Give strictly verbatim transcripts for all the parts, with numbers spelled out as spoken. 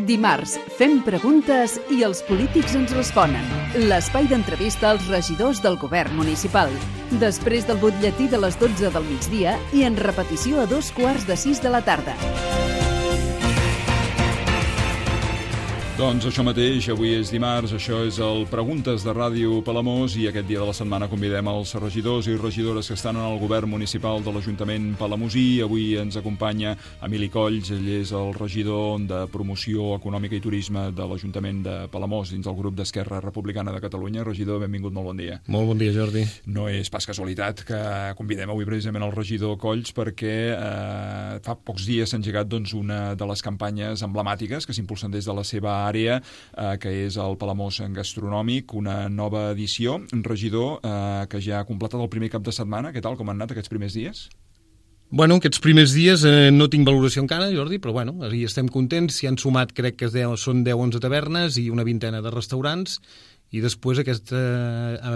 Dimarts, fem preguntes i els polítics ens responen. L'espai d'entrevista als regidors del govern municipal. Després del butlletí de les dotze del migdia i en repetició a dos quarts de sis de la tarda. Doncs això mateix, avui és dimarts, això és el Preguntes de Ràdio Palamós i aquest dia de la setmana convidem els regidors i regidores que estan en el govern municipal de l'Ajuntament palamosí. Avui ens acompanya Emili Colls, ell és el regidor de Promoció Econòmica i Turisme de l'Ajuntament de Palamós dins el grup d'Esquerra Republicana de Catalunya. Regidor, benvingut, molt bon dia. Molt bon dia, Jordi. No és pas casualitat que convidem avui precisament el regidor Colls perquè eh, fa pocs dies s'ha engegat doncs, una de les campanyes emblemàtiques que s'impulsen des de la seva àrea, eh, que és el Palamós Gastronòmic, una nova edició. Un regidor eh, que ja ha completat el primer cap de setmana. Què tal, com han anat aquests primers dies? Bueno, aquests primers dies eh, no tinc valoració encara, Jordi, però bueno, hi estem contents. S'hi han sumat, crec que deu, són deu o onze tavernes i una vintena de restaurants, i després aquesta,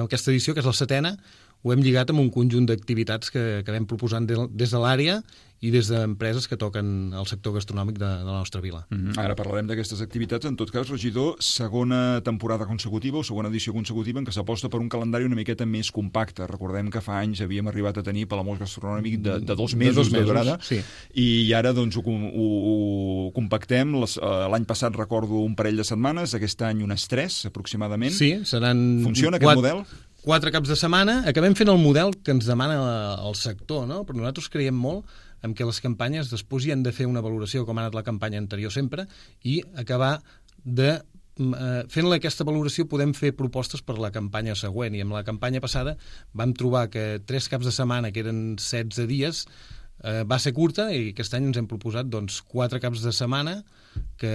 aquesta edició, que és la setena, ho hem lligat amb un conjunt d'activitats que, que vam proposant de, des de l'àrea i des d'empreses que toquen el sector gastronòmic de, de la nostra vila. Mm-hmm. Ara parlarem d'aquestes activitats. En tot cas, regidor, segona temporada consecutiva o segona edició consecutiva en què s'aposta per un calendari una miqueta més compacte. Recordem que fa anys havíem arribat a tenir Palamós Gastronòmic de, de dos mesos, de dos mesos durada, sí. I ara doncs, ho, ho, ho compactem. Les, L'any passat recordo un parell de setmanes, aquest any unes tres aproximadament. Sí, seran... Funciona aquest quatre... model? Quatre caps de setmana. Acabem fent el model que ens demana el sector, no? Però nosaltres creiem molt en què les campanyes després hi han de fer una valoració com ha anat la campanya anterior sempre i acabar de... Eh, fent-la aquesta valoració podem fer propostes per la campanya següent, i amb la campanya passada vam trobar que tres caps de setmana, que eren setze dies, eh, va ser curta, i aquest any ens hem proposat doncs, quatre caps de setmana, que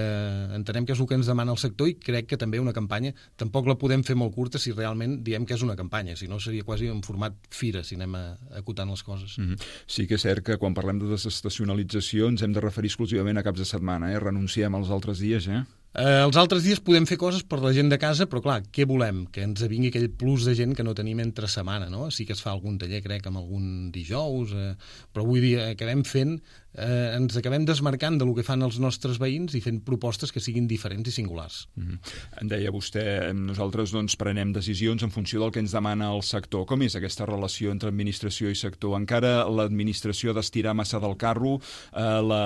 entenem que és el que ens demana el sector, i crec que també una campanya tampoc la podem fer molt curta si realment diem que és una campanya, si no seria quasi en format fira si anem acotant les coses. Mm-hmm. Sí que és cert que quan parlem de desestacionalització ens hem de referir exclusivament a caps de setmana, eh? Renunciem als altres dies, eh? Eh, els altres dies podem fer coses per la gent de casa, però clar, què volem? Que ens vingui aquell plus de gent que no tenim entre setmana, no? Sí que es fa algun taller, crec, amb algun dijous, eh, però vull dir, acabem fent, eh, ens acabem desmarcant de lo que fan els nostres veïns i fent propostes que siguin diferents i singulars. Mm-hmm. En deia vostè, nosaltres doncs, prenem decisions en funció del que ens demana el sector. Com és aquesta relació entre administració i sector? Encara l'administració ha d'estirar massa del carro, eh, la,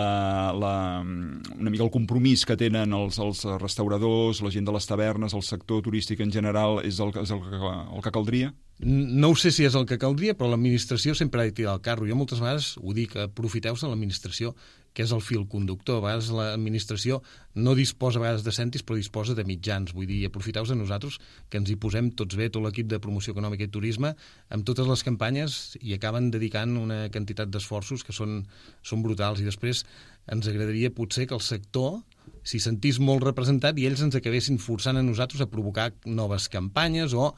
la, una mica el compromís que tenen els, els els restauradors, la gent de les tavernes, el sector turístic en general, és el, és el, que, el que caldria? No ho sé si és el que caldria, però l'administració sempre ha de tirar el carro. Jo moltes vegades ho dic, aprofiteu-se de l'administració, que és el fil conductor. A vegades l'administració no disposa a vegades de cèntims, però disposa de mitjans. Vull dir, aprofiteu-vos de nosaltres, que ens hi posem tots bé, tot l'equip de Promoció Econòmica i Turisme, amb totes les campanyes, i acaben dedicant una quantitat d'esforços que són, són brutals. I després ens agradaria potser que el sector s'hi sentís molt representat i ells ens acabessin forçant a nosaltres a provocar noves campanyes o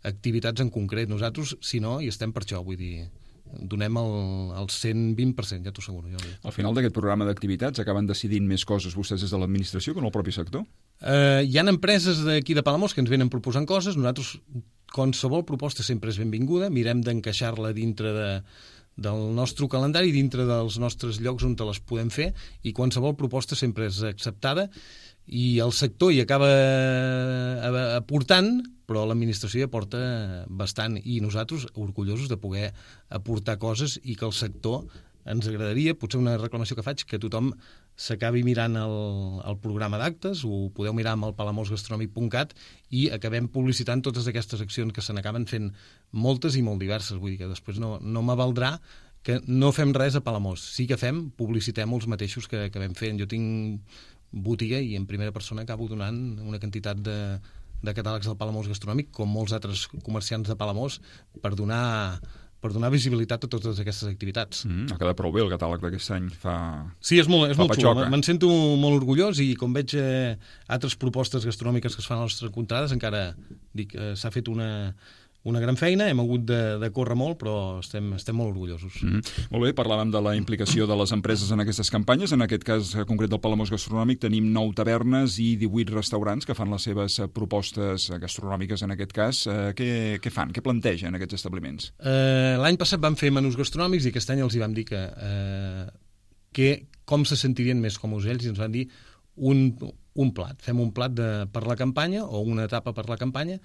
activitats en concret. Nosaltres, si no, hi estem per això, vull dir, donem el, el cent vint per cent, ja t'ho asseguro. Jo. Al final d'aquest programa d'activitats acaben decidint més coses vostès des de l'administració que en el propi sector? Eh, hi ha empreses d'aquí de Palamós que ens venen proposant coses. Nosaltres, qualsevol proposta sempre és benvinguda, mirem d'encaixar-la dintre de del nostre calendari, dintre dels nostres llocs on te les podem fer, i qualsevol proposta sempre és acceptada, i el sector hi acaba aportant, però l'administració hi aporta bastant, i nosaltres orgullosos de poder aportar coses, i que el sector ens agradaria, potser una reclamació que faig, que tothom s'acabi mirant el, el programa d'actes, ho podeu mirar amb el palamós gastronòmic punt cat, i acabem publicitant totes aquestes accions que se n'acaben fent moltes i molt diverses. Vull dir que després no, no m'avaldrà que no fem res a Palamós. Sí que fem, publicitem els mateixos que, que vam fent. Jo tinc botiga i en primera persona acabo donant una quantitat de, de catàlegs del Palamós Gastronòmic, com molts altres comerciants de Palamós, per donar... per donar visibilitat a totes aquestes activitats. Mm, ha quedat prou bé el catàleg d'aquest any. Fa... Sí, és molt, és molt xulo. Me'n sento molt orgullós, i com veig eh, altres propostes gastronòmiques que es fan a les nostres contrades, encara dic, eh, s'ha fet una, una gran feina, hem hagut de, de córrer molt, però estem, estem molt orgullosos. Mm-hmm. Molt bé, parlàvem de la implicació de les empreses en aquestes campanyes. En aquest cas concret del Palamós Gastronòmic tenim nou tavernes i divuit restaurants que fan les seves propostes gastronòmiques en aquest cas. Eh, què, què fan? Què plantegen aquests establiments? Eh, l'any passat vam fer menús gastronòmics i aquest any els hi vam dir que, eh, que com se sentirien més com ocells, i ens van dir un, un plat. Fem un plat de, per la campanya o una etapa per la campanya.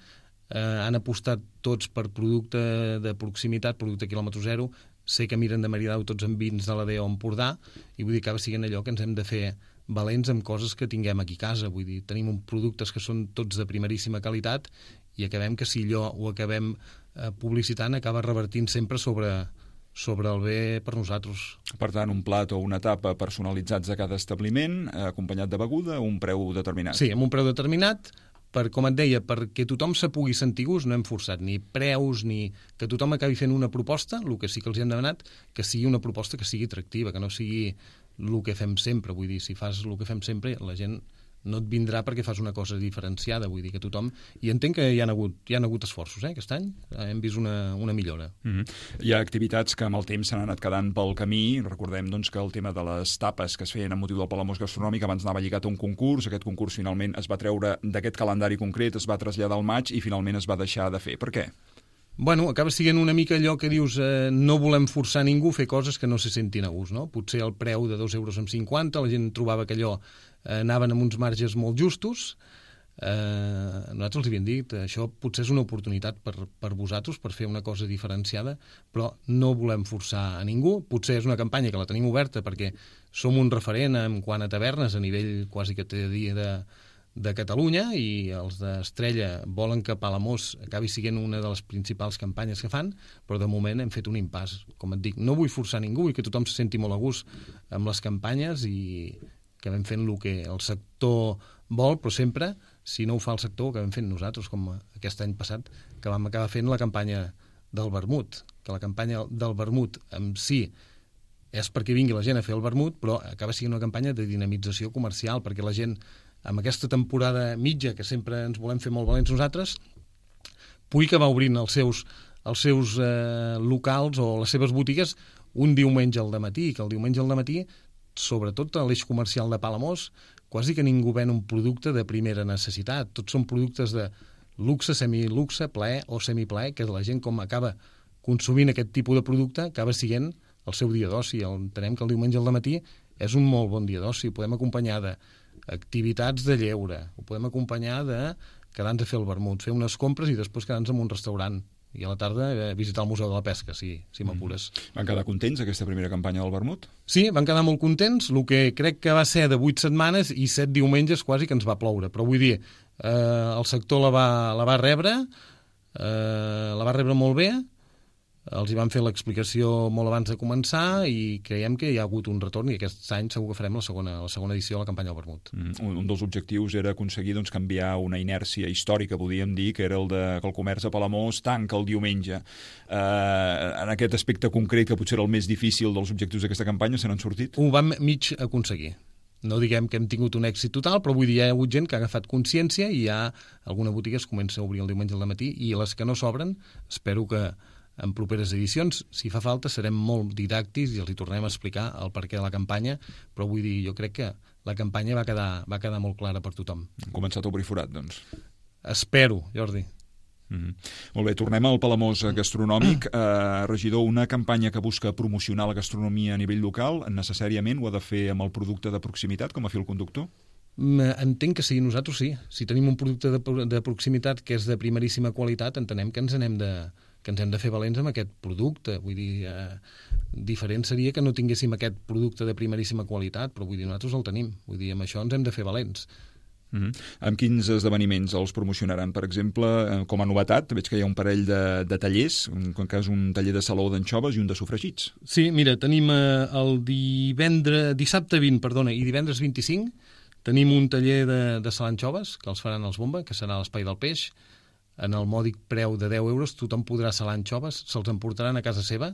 Eh, han apostat tots per producte de proximitat, producte quilòmetre zero. Sé que miren de maridar tots amb vins de l'A D O Empordà i vull dir que acaba sent allò que ens hem de fer valents amb coses que tinguem aquí a casa. Vull dir, tenim uns productes que són tots de primeríssima qualitat i acabem que si allò ho acabem eh, publicitant acaba revertint sempre sobre, sobre el bé per nosaltres. Per tant, un plat o una tapa personalitzats a cada establiment, eh, acompanyat de beguda, a un preu determinat. Sí, amb un preu determinat, per, com et deia, perquè tothom se pugui sentir gust, no hem forçat ni preus, ni que tothom acabi fent una proposta, el que sí que els hem demanat, que sigui una proposta que sigui atractiva, que no sigui el que fem sempre. Vull dir, si fas el que fem sempre, la gent no et vindrà perquè fas una cosa diferenciada. Vull dir que tothom... I entenc que hi ha hagut, hi ha hagut esforços, eh, aquest any. Hem vist una, una millora. Mm-hmm. Hi ha activitats que amb el temps s'han anat quedant pel camí. Recordem doncs, que el tema de les tapes que es feien amb motiu del Palamós Gastronòmic abans anava lligat a un concurs. Aquest concurs finalment es va treure d'aquest calendari concret, es va traslladar al maig i finalment es va deixar de fer. Per què? Bueno, acaba sent una mica allò que dius eh, no volem forçar ningú a fer coses que no se sentin a gust, no? Potser el preu de dos euros amb cinquanta, la gent trobava que allò eh, anaven amb uns marges molt justos. Eh, nosaltres els havíem dit, això potser és una oportunitat per, per vosaltres, per fer una cosa diferenciada, però no volem forçar a ningú. Potser és una campanya que la tenim oberta perquè som un referent en quant a tavernes a nivell quasi que t'he de dir de... de Catalunya, i els d'Estrella volen que Palamós acabi sent una de les principals campanyes que fan, però de moment hem fet un impàs. Com et dic, no vull forçar ningú, vull que tothom se senti molt a gust amb les campanyes i que vam fent el que el sector vol, però sempre, si no ho fa el sector, que vam fent nosaltres, com aquest any passat, que vam acabar fent la campanya del vermut, que la campanya del vermut en si és perquè vingui la gent a fer el vermut, però acaba sent una campanya de dinamització comercial, perquè la gent amb aquesta temporada mitja, que sempre ens volem fer molt valents nosaltres, pugui acabar obrint els seus, els seus eh, locals o les seves botigues un diumenge al dematí, que el diumenge al dematí, sobretot a l'eix comercial de Palamós, quasi que ningú ven un producte de primera necessitat. Tots són productes de luxe, semiluxe, plaer o semiplaer, que la gent com acaba consumint aquest tipus de producte, acaba sent el seu dia d'oci. Entenem que el diumenge al dematí és un molt bon dia d'oci, ho podem acompanyar de activitats de lleure, ho podem acompanyar de quedar-nos a fer el vermut, fer unes compres i després quedar-nos en un restaurant i a la tarda eh, visitar el Museu de la Pesca, si, si m'apures. Van quedar contents aquesta primera campanya del vermut? Sí, van quedar molt contents, el que crec que va ser de vuit setmanes i set diumenges quasi que ens va ploure, però vull dir, eh, el sector la va, la va rebre, eh, la va rebre molt bé, els hi van fer l'explicació molt abans de començar i creiem que hi ha hagut un retorn i aquest any segur que farem la segona, la segona edició de la campanya del vermut. Mm, un, un dels objectius era aconseguir doncs, canviar una inèrcia històrica, podríem dir, que era el de que el comerç a Palamós tanca el diumenge. Eh, en aquest aspecte concret, que potser era el més difícil dels objectius d'aquesta campanya, se n'han sortit? Ho vam mig aconseguir. No diguem que hem tingut un èxit total, però vull dir, hi ha hagut gent que ha agafat consciència i hi ha alguna botiga que es comença a obrir el diumenge al matí i les que no s'obren, espero que en properes edicions, si fa falta, serem molt didàctics i els hi tornem a explicar el perquè de la campanya, però vull dir, jo crec que la campanya va quedar, va quedar molt clara per tothom. Han començat a obrir forat, doncs. Espero, Jordi. Mm-hmm. Molt bé, tornem al Palamós gastronòmic. Eh, regidor, una campanya que busca promocionar la gastronomia a nivell local, necessàriament ho ha de fer amb el producte de proximitat, com a fil conductor? Entenc que sí, nosaltres sí. Si tenim un producte de, de proximitat que és de primeríssima qualitat, entenem que ens anem de... que ens hem de fer valents amb aquest producte. Vull dir, eh, diferent seria que no tinguéssim aquest producte de primeríssima qualitat, però vull dir, nosaltres el tenim. Vull dir, amb això ens hem de fer valents. Mm-hmm. Amb quins esdeveniments els promocionaran? Per exemple, com a novetat, veig que hi ha un parell de, de tallers, en cas un taller de saló d'anxoves i un de sofregits. Sí, mira, tenim eh, el divendres, dissabte vint, perdona, i divendres vint-i-cinc, tenim un taller de, de salà d'anxoves, que els faran els Bomba, que serà a l'Espai del Peix. En el mòdic preu de deu euros tothom podrà salar anxoves, se'ls emportaran a casa seva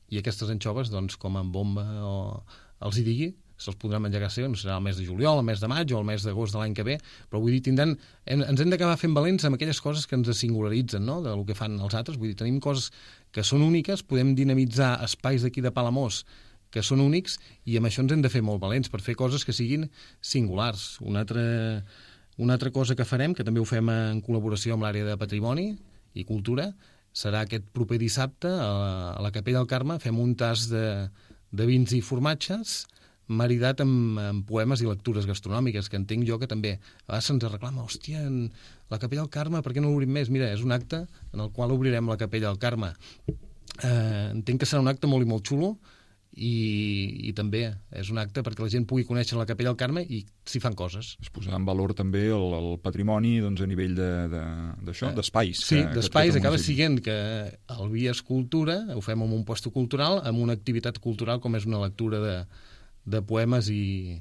i aquestes anxoves, doncs, com en Bomba o els hi digui, se'ls podran menjar a casa seva, no serà el mes de juliol, el mes de maig o el mes d'agost de l'any que ve, però vull dir, tindran, hem, ens hem d'acabar fent valents amb aquelles coses que ens singularitzen, no?, del que fan els altres. Vull dir, tenim coses que són úniques, podem dinamitzar espais d'aquí de Palamós que són únics i amb això ens hem de fer molt valents per fer coses que siguin singulars. Un altre... Una altra cosa que farem, que també ho fem en col·laboració amb l'àrea de Patrimoni i Cultura, serà aquest proper dissabte a la Capella del Carme, fem un tas de, de vins i formatges maridat amb, amb poemes i lectures gastronòmiques, que entenc jo que també a vegades se'ns reclama, hòstia, en la Capella del Carme, per què no l'obrim més? Mira, és un acte en el qual obrirem la Capella del Carme. Eh, entenc que serà un acte molt i molt xulo, i, i també és un acte perquè la gent pugui conèixer la Capella del Carme i s'hi fan coses. Es posar en valor també el, el patrimoni doncs, a nivell d'això, de, de, d'espais. Sí, d'espais, acaba sent que el Via és cultura, ho fem en un puesto cultural, amb una activitat cultural com és una lectura de, de poemes i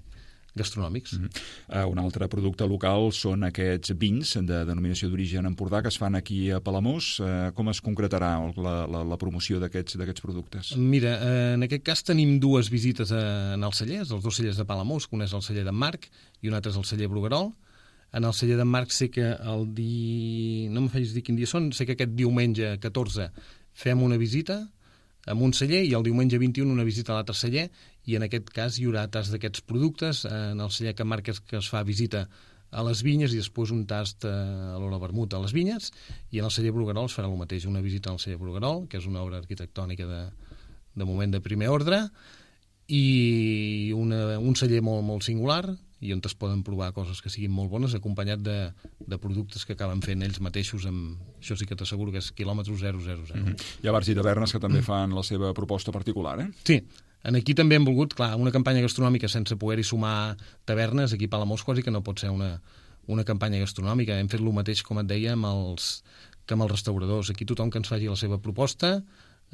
gastronòmics. Mm-hmm. uh, un altre producte local són aquests vins de denominació d'origen Empordà que es fan aquí a Palamós. Uh, com es concretarà la, la, la promoció d'aquests d'aquests productes? Mira, eh, en aquest cas tenim dues visites a, en els cellers, els dos cellers de Palamós, un és el celler d'en Marc i un altre és el celler Bruguerol. En el celler d'en Marc sé que el di... no em facis dir quin dia són, sé que aquest diumenge catorze fem una visita amb un celler i el diumenge vint-i-u una visita a l'altre celler, i en aquest cas hi haurà tast d'aquests productes. En el celler que marques que es fa visita a les vinyes i després un tast a l'hora vermut a les vinyes, i en el celler Bruguerol es farà el mateix, una visita al celler Bruguerol, que és una obra arquitectònica de, de moment de primer ordre, i una, un celler molt, molt singular, i on es poden provar coses que siguin molt bones, acompanyat de, de productes que acaben fent ells mateixos, amb, això sí que t'asseguro que és quilòmetre zero zero zero. Mm-hmm. Hi ha bars i tavernes que també fan la seva proposta particular, eh? Sí, en aquí també hem volgut, clar, una campanya gastronòmica sense poder-hi sumar tavernes, aquí a Palamós quasi que no pot ser una, una campanya gastronòmica. Hem fet el mateix, com et deia, amb els, que amb els restauradors. Aquí tothom que ens faci la seva proposta,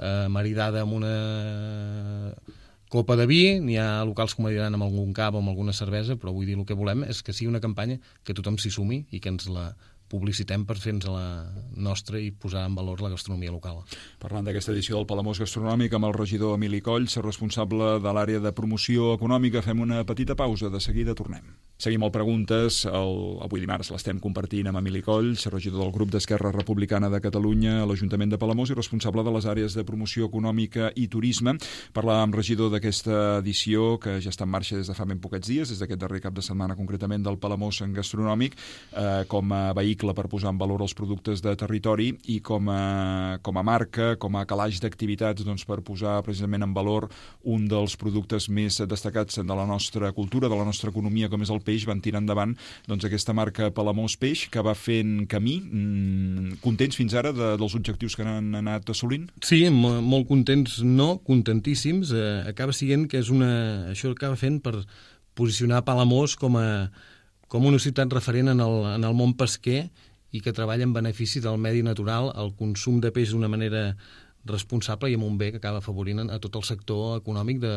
eh, maridada amb una copa de vi, n'hi ha locals que m'ho diran amb algun cava o amb alguna cervesa, però vull dir, el que volem és que sigui una campanya que tothom s'hi sumi i que ens la publicitem per fer-nos la nostra i posar en valor la gastronomia local. Parlant d'aquesta edició del Palamós Gastronòmic amb el regidor Emili Colls, responsable de l'àrea de promoció econòmica, fem una petita pausa, de seguida tornem. Seguim el Preguntes, el, avui dimarts l'estem compartint amb Emili Colls, regidor del grup d'Esquerra Republicana de Catalunya a l'Ajuntament de Palamós i responsable de les àrees de promoció econòmica i turisme. Parlàvem, regidor, d'aquesta edició que ja està en marxa des de fa ben poquets dies, des d'aquest darrer cap de setmana concretament del Palamós Gastronòmic, eh, com a vehicle per posar en valor els productes de territori i com a, com a marca, com a calaix d'activitats, doncs, per posar precisament en valor un dels productes més destacats de la nostra cultura, de la nostra economia, com és el peix. Van tirar endavant doncs, aquesta marca Palamós Peix, que va fent camí. Mm, contents fins ara de, dels objectius que han anat assolint? Sí, molt contents, no, contentíssims. Eh, acaba sent que és una... això acaba fent per posicionar Palamós com a com una ciutat referent en el, en el món pesquer i que treballa en benefici del medi natural, el consum de peix d'una manera responsable i amb un bé que acaba afavorint a tot el sector econòmic de,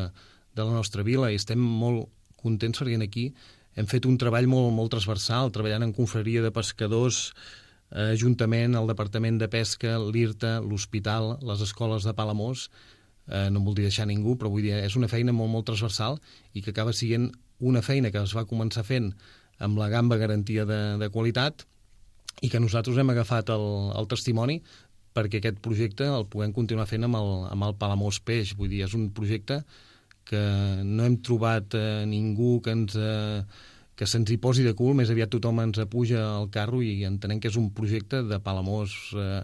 de la nostra vila. I estem molt contents perquè aquí hem fet un treball molt, molt transversal, treballant en confraria de pescadors, eh, Ajuntament, el Departament de Pesca, l'I R T A, l'Hospital, les escoles de Palamós. Eh, no em voldria deixar ningú, però vull dir, és una feina molt, molt transversal i que acaba sent una feina que es va començar fent amb la gamba garantia de, de qualitat i que nosaltres hem agafat el, el testimoni perquè aquest projecte el puguem continuar fent amb el, amb el Palamós Peix. Vull dir, és un projecte que no hem trobat eh, ningú que ens... Eh, que se'ns hi posi de cul, més aviat tothom ens apuja al carro i entenem que és un projecte de Palamós eh,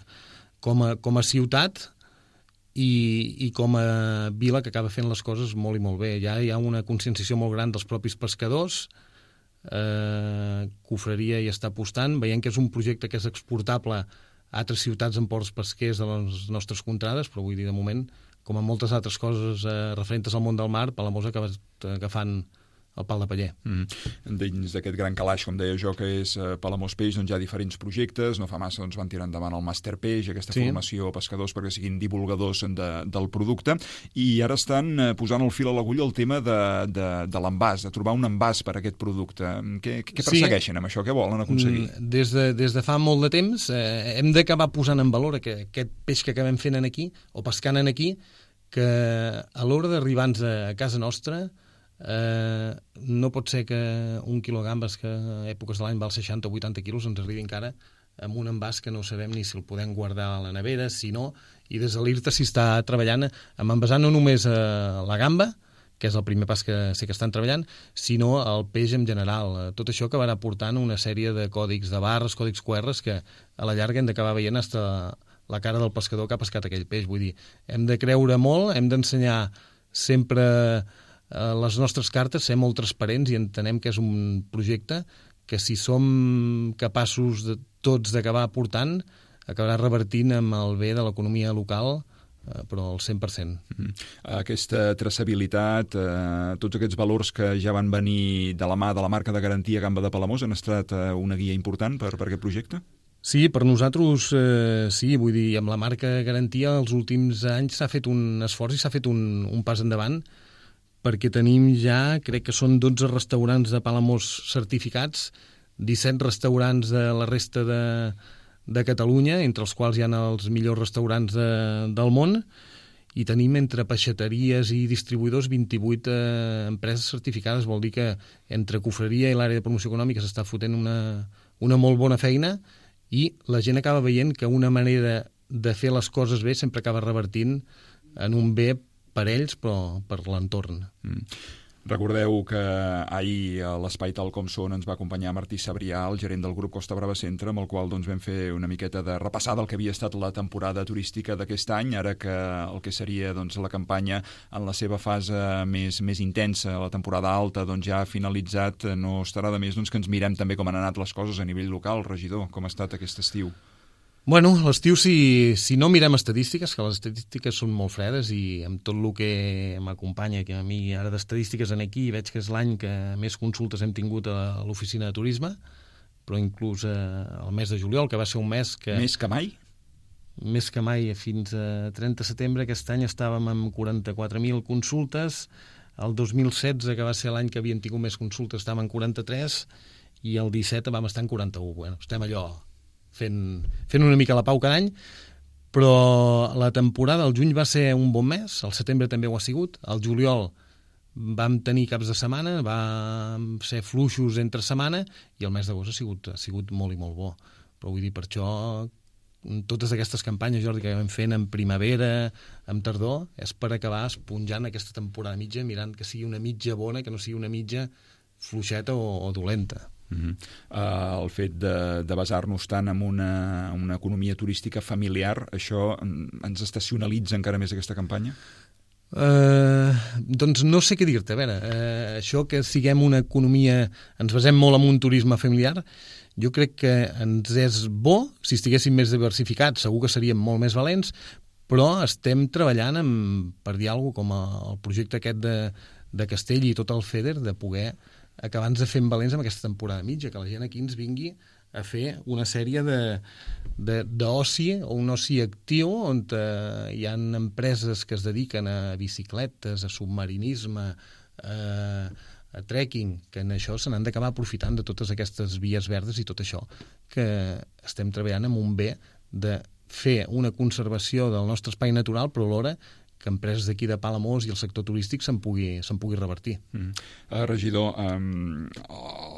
com, a, com a ciutat i, i com a vila que acaba fent les coses molt i molt bé. Ja hi ha una conscienciació molt gran dels propis pescadors, eh, Confraria hi està apostant, veient que és un projecte que és exportable a altres ciutats en ports pesquers de les nostres contrades, però vull dir, de moment, com en moltes altres coses eh, referents al món del mar, Palamós ha acabat agafant el pal de paller. Mm. Dins d'aquest gran calaix, com deia jo, que és eh, Palamós Peix, doncs hi ha diferents projectes. No fa massa doncs, van tirar endavant el Màster Peix, aquesta sí. formació a pescadors perquè siguin divulgadors de, del producte, i ara estan eh, posant el fil a l'agulla el tema de, de, de l'envàs, de trobar un envàs per a aquest producte. Què, què persegueixen sí. amb això? Què volen aconseguir? Des de, des de fa molt de temps eh, hem d'acabar posant en valor aquest, aquest peix que acabem fent aquí, o pescant aquí, que a l'hora d'arribar-nos a casa nostra Eh, no pot ser que un quilo de gambes que a èpoques de l'any val seixanta o vuitanta quilos ens arribi encara amb un envàs que no sabem ni si el podem guardar a la nevera, si no, i des de l'I R T A s'hi està treballant amb envasar no només a la gamba, que és el primer pas que sé que estan treballant, sinó el peix en general. Tot això acabarà portant una sèrie de còdics de barres, còdics Q Rs, que a la llarga hem d'acabar veient fins la cara del pescador que ha pescat aquell peix. Vull dir, hem de creure molt, hem d'ensenyar sempre eh, les nostres cartes, ser molt transparents i entenem que és un projecte que si som capaços de tots d'acabar aportant, acabarà revertint amb el bé de l'economia local, eh, però al cent per cent. Mm-hmm. Aquesta traçabilitat, eh, tots aquests valors que ja van venir de la mà de la marca de garantia Gamba de Palamós han estat eh, una guia important per, per aquest projecte? Sí, per nosaltres eh, sí, vull dir, amb la marca garantia els últims anys s'ha fet un esforç i s'ha fet un, un pas endavant, perquè tenim ja, crec que són dotze restaurants de Palamós certificats, disset restaurants de la resta de, de Catalunya, entre els quals hi ha els millors restaurants de, del món, i tenim entre peixateries i distribuïdors vint-i-vuit eh, empreses certificades. Vol dir que entre cofreria i l'àrea de promoció econòmica s'està fotent una, una molt bona feina, i la gent acaba veient que una manera de fer les coses bé sempre acaba revertint en un bé per ells, però per l'entorn. Mm. Recordeu que ahir a l'Espai Tal Com Són ens va acompanyar Martí Sabrià, el gerent del grup Costa Brava Centre, amb el qual doncs, vam fer una miqueta de repassada del que havia estat la temporada turística d'aquest any, ara que el que seria doncs, la campanya en la seva fase més, més intensa, la temporada alta, doncs, ja ha finalitzat. No estarà de més doncs, que ens mirem també com han anat les coses a nivell local. Regidor, com ha estat aquest estiu? Bueno, l'estiu, si, si no mirem estadístiques, que les estadístiques són molt fredes i amb tot el que m'acompanya, que a mi ara d'estadístiques en aquí veig que és l'any que més consultes hem tingut a l'oficina de turisme, però inclús eh, el mes de juliol, que va ser un mes que... Més que mai? Més que mai, fins a trenta de setembre, aquest any estàvem amb quaranta-quatre mil consultes, el dos mil setze, que va ser l'any que havien tingut més consultes, estàvem en quaranta-tres, i el disset vam estar en quaranta-u. Bueno, estem allò... Fent, fent una mica la pau cada any, però la temporada, el juny va ser un bon mes, el setembre també ho ha sigut, el juliol vam tenir caps de setmana, vam ser fluixos entre setmana, i el mes d'agost ha sigut, ha sigut molt i molt bo. Però vull dir, per això, totes aquestes campanyes, Jordi, que vam fent en primavera, en tardor, és per acabar esponjant aquesta temporada mitja, mirant que sigui una mitja bona, que no sigui una mitja fluixeta o, o dolenta. Uh-huh. Uh, el fet de, de basar-nos tant en una, una economia turística familiar, això ens estacionalitza encara més aquesta campanya? Uh, doncs no sé què dir-te. A veure, uh, això que siguem una economia, ens basem molt en un turisme familiar, jo crec que ens és bo. Si estiguéssim més diversificats segur que seríem molt més valents, però estem treballant amb, per dir alguna cosa, com el projecte aquest de, de Castell i tot el FEDER, de poder acabar-nos de fer valents amb aquesta temporada mitja, que la gent aquí ens vingui a fer una sèrie d'oci, o un oci actiu, on eh, hi ha empreses que es dediquen a bicicletes, a submarinisme, a, a trekking, que en això se n'han d'acabar aprofitant de totes aquestes vies verdes i tot això, que estem treballant amb un bé de fer una conservació del nostre espai natural, però alhora que empreses d'aquí de Palamós i el sector turístic se'n pugui, se'n pugui revertir. Mm. Uh, regidor, um,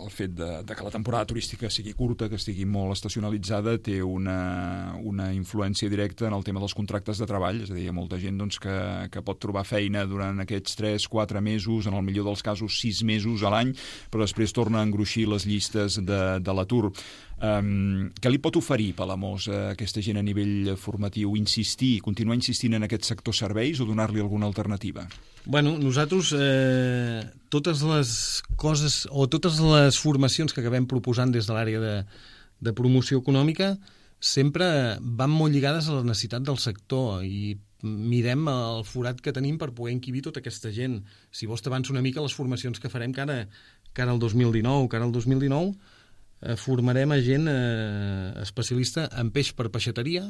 el fet de, de que la temporada turística sigui curta, que estigui molt estacionalitzada, té una, una influència directa en el tema dels contractes de treball, és a dir, hi ha molta gent doncs, que, que pot trobar feina durant aquests tres quatre mesos, en el millor dels casos sis mesos a l'any, però després torna a engruixir les llistes de, de l'atur. Um, què li pot oferir Palamós a aquesta gent a nivell formatiu? Insistir, continuar insistint en aquest sector serveis o donar-li alguna alternativa? Bueno, nosaltres eh, totes les coses o totes les formacions que acabem proposant des de l'àrea de, de promoció econòmica sempre van molt lligades a la necessitat del sector i mirem el forat que tenim per poder encabir tota aquesta gent. Si vols t'avanço una mica les formacions que farem que ara, que ara el dos mil dinou, que ara el dos mil dinou eh, formarem a gent eh, especialista en peix per peixateria,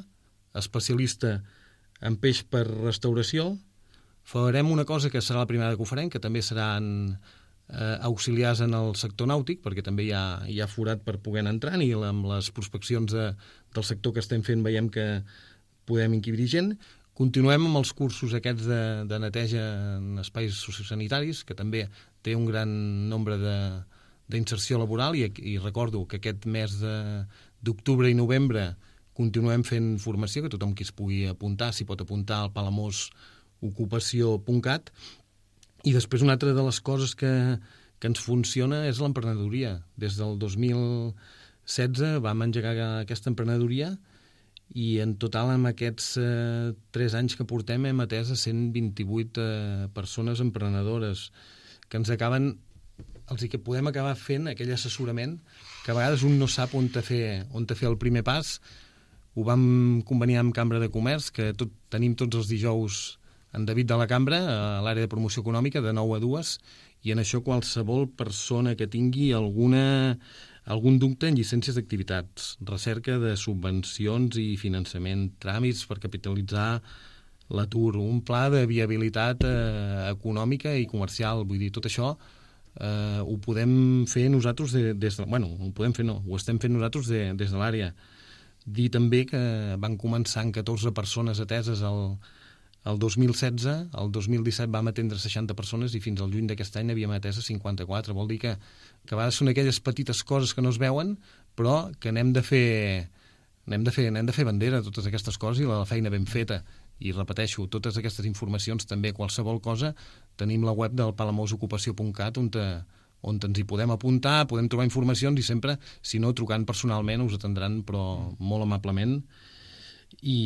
especialista en peix per restauració. Farem una cosa que serà la primera que ho farem, que també seran eh, auxiliars en el sector nàutic, perquè també hi ha, hi ha forat per poder entrar i amb les prospeccions de, del sector que estem fent veiem que podem encabir gent. Continuem amb els cursos aquests de, de neteja en espais sociosanitaris, que també té un gran nombre d'inserció laboral i, i recordo que aquest mes d'octubre i novembre continuem fent formació, que tothom qui es pugui apuntar s'hi pot apuntar al palamós ocupació punt cat. I després una altra de les coses que, que ens funciona és l'emprenedoria. Des del dos mil setze vam engegar aquesta emprenedoria i en total amb aquests eh, tres anys que portem hem atès a cent vint-i-vuit eh, persones emprenedores que ens acaben, els que podem acabar fent aquell assessorament que a vegades un no sap on te fer, on te fer el primer pas. Ho vam conveniar amb Cambra de Comerç, que tot, tenim tots els dijous en David de la Cambra, a l'àrea de promoció econòmica, de nou a dues, i en això qualsevol persona que tingui alguna, algun dubte en llicències d'activitats, recerca de subvencions i finançament, tràmits per capitalitzar l'atur, un pla de viabilitat eh, econòmica i comercial, vull dir, tot això eh, ho podem fer nosaltres de, des de... Bueno, ho podem fer no, ho estem fent nosaltres de, des de l'àrea. Dir també que van començar amb catorze persones ateses al El dos mil setze, el dos mil disset vam atendre seixanta persones i fins al juny d'aquest any havíem atès a cinquanta-quatre. Vol dir que, que a vegades són aquelles petites coses que no es veuen, però que n'hem de fer, n'hem de fer, n'hem de fer bandera, totes aquestes coses, i la feina ben feta. I repeteixo, totes aquestes informacions, també qualsevol cosa, tenim la web del palamós ocupació punt cat on, te, on ens hi podem apuntar, podem trobar informacions i sempre, si no, trucant personalment us atendran, però molt amablement. I...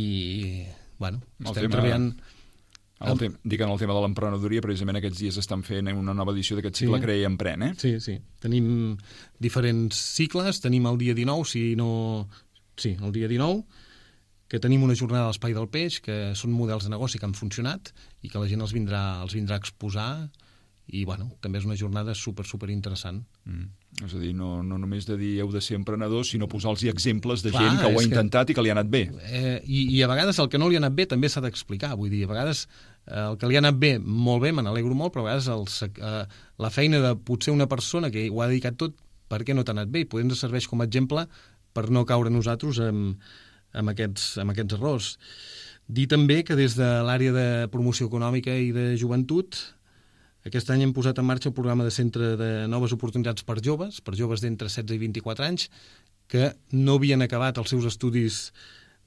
Bueno, estem tema, treballant... El tem, dic en el tema de l'emprenedoria, precisament aquests dies estan fent una nova edició d'aquest cicle sí. Crea i Empren, eh? Sí, sí. Tenim diferents cicles, tenim el dia dinou, si no... Sí, el dia dinou, que tenim una jornada a l'Espai del Peix, que són models de negoci que han funcionat i que la gent els vindrà, els vindrà a exposar, i bueno, també és una jornada super, super interessant. Mm. És a dir, no, no només de dir heu de ser emprenedors, sinó posar-los exemples de Clar, gent que ho ha intentat que, i que li ha anat bé. Eh, i, I a vegades el que no li ha anat bé també s'ha d'explicar. Vull dir, a vegades eh, el que li ha anat bé, molt bé, me n'alegro molt, però a vegades el, eh, la feina de potser una persona que ho ha dedicat tot, per què no t'ha anat bé? I potser ens serveix com a exemple per no caure nosaltres amb, amb, aquests, amb aquests errors. Dir també que des de l'àrea de promoció econòmica i de joventut aquest any hem posat en marxa el programa de centre de noves oportunitats per joves, per joves d'entre setze i vint-i-quatre anys, que no havien acabat els seus estudis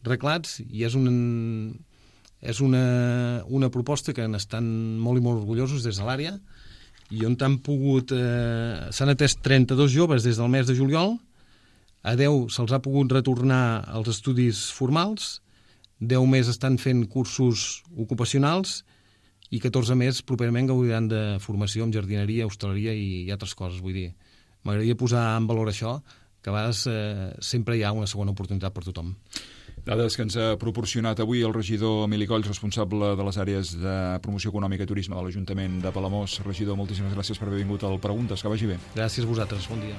reglats, i és, un, és una, una proposta que n'estan molt i molt orgullosos des de l'àrea, i on han pogut... Eh, s'han atès trenta-dos joves des del mes de juliol, a deu se'ls ha pogut retornar als estudis formals, deu més estan fent cursos ocupacionals, i catorze més properament gaudiran de formació en jardineria, hostaleria i, i altres coses. Vull dir, m'agradaria posar en valor això, que a vegades eh, sempre hi ha una segona oportunitat per tothom. Dades que ens ha proporcionat avui el regidor Emili Colls, responsable de les àrees de promoció econòmica i turisme de l'Ajuntament de Palamós. Regidor, moltíssimes gràcies per haver vingut al Preguntes. Que vagi bé. Gràcies a vosaltres. Bon dia.